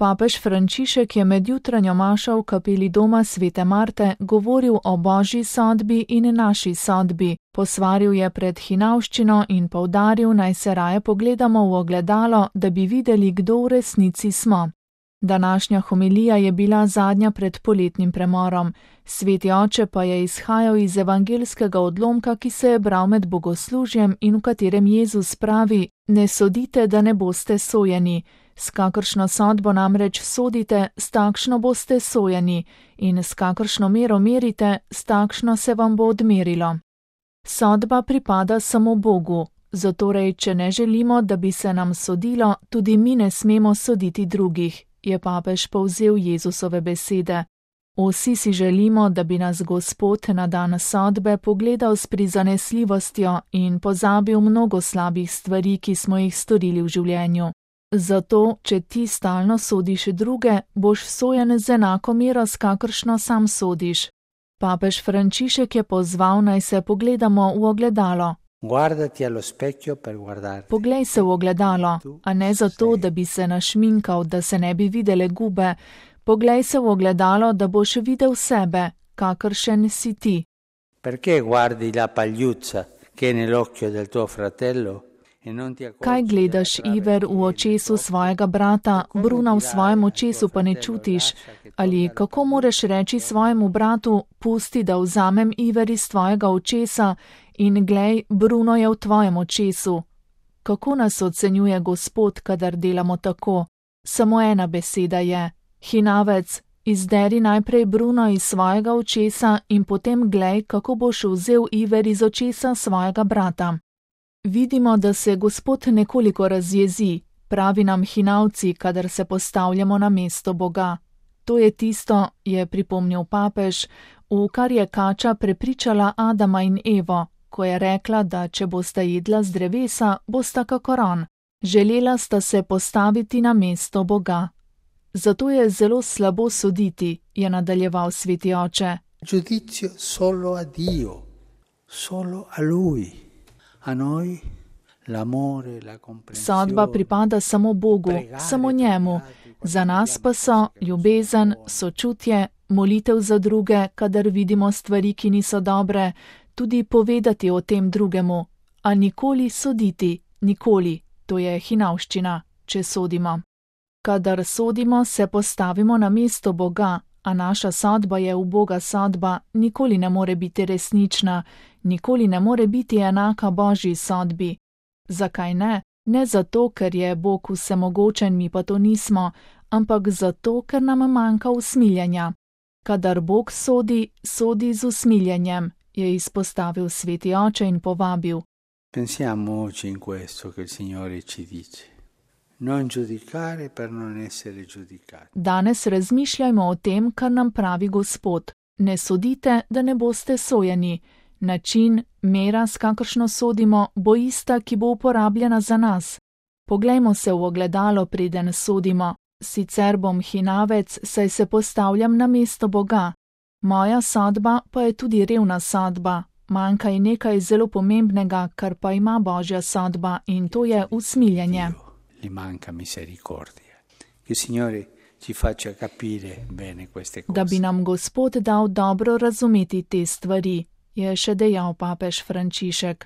Papež Frančišek je med jutranjo mašo v kapeli doma Svete Marte govoril o božji sodbi in naši sodbi. Posvaril je pred hinavščino in poudaril, naj se raje pogledamo v ogledalo, da bi videli, kdo v resnici smo. Današnja homilija je bila zadnja pred poletnim premorom. Sveti oče pa je izhajal iz evangelskega odlomka, ki se je bral med bogoslužjem in v katerem Jezus pravi: ne sodite, da ne boste sojeni. S kakršno sodbo namreč sodite, s takšno boste sojeni, in s kakršno mero merite, s takšno se vam bo odmerilo. Sodba pripada samo Bogu, zatorej, če ne želimo, da bi se nam sodilo, tudi mi ne smemo soditi drugih, je papež povzel Jezusove besede. Vsi si želimo, da bi nas Gospod na dan sodbe pogledal s prizanesljivostjo in pozabil mnogo slabih stvari, ki smo jih storili v življenju. Zato, če ti stalno sodiš druge, boš sojen z enako mero, s kakršno sam sodiš. Papež Frančišek je pozval, naj se pogledamo v ogledalo. Poglej se v ogledalo, a ne zato, da bi se našminkal, da se ne bi videle gube. Poglej se v ogledalo, da boš videl sebe, kakršen si ti. Kaj gledaš iver v očesu svojega brata, bruna v svojem očesu pa ne čutiš? Ali kako moreš reči svojemu bratu, pusti, da vzamem iver iz tvojega očesa in glej, bruno je v tvojem očesu? Kako nas ocenjuje Gospod, kadar delamo tako? Samo ena beseda je: hinavec, izderi najprej bruno iz svojega očesa in potem glej, kako boš vzel iver iz očesa svojega brata. Vidimo, da se Gospod nekoliko razjezi, pravi nam hinavci, kadar se postavljamo na mesto Boga. To je tisto, je pripomnil papež, v kar je kača prepričala Adama in Evo, ko je rekla, da če bosta jedla z drevesa, bosta kakor on. Želela sta se postaviti na mesto Boga. Zato je zelo slabo soditi, je nadaljeval sveti oče. Giudizio solo a Dio, solo a Lui. Sodba pripada samo Bogu, samo njemu. Za nas pa so ljubezen, sočutje, molitev za druge, kadar vidimo stvari, ki niso dobre, tudi povedati o tem drugemu, a nikoli soditi, nikoli, to je hinavščina, če sodimo. Kadar sodimo, se postavimo na mesto Boga, a naša sodba je uboga sodba, nikoli ne more biti resnična, nikoli ne more biti enaka Božji sodbi. Zakaj ne? Ne zato, ker je Bog vsemogočen, mi pa to nismo, ampak zato, ker nam manjka usmiljenja. Kadar Bog sodi, sodi z usmiljenjem, je izpostavil sveti oče in povabil. Pensiamo oggi in questo che il Signore ci dice. Non giudicare per non essere giudicati. Danes razmišljajmo o tem, kar nam pravi Gospod. Ne sodite, da ne boste sojeni. Način, mera, s kakršno sodimo, bo ista, ki bo uporabljena za nas. Poglejmo se v ogledalo, preden sodimo. Sicer bom hinavec, saj se postavljam na mesto Boga. Moja sodba pa je tudi revna sodba. Manjka ji nekaj zelo pomembnega, kar pa ima Božja sodba, in to je usmiljenje. Gli manca misericordia. Che Signore ci faccia capire bene queste cose. Da bi nam Gospod dal dobro razumeti te stvari, je še dejal papež Frančišek.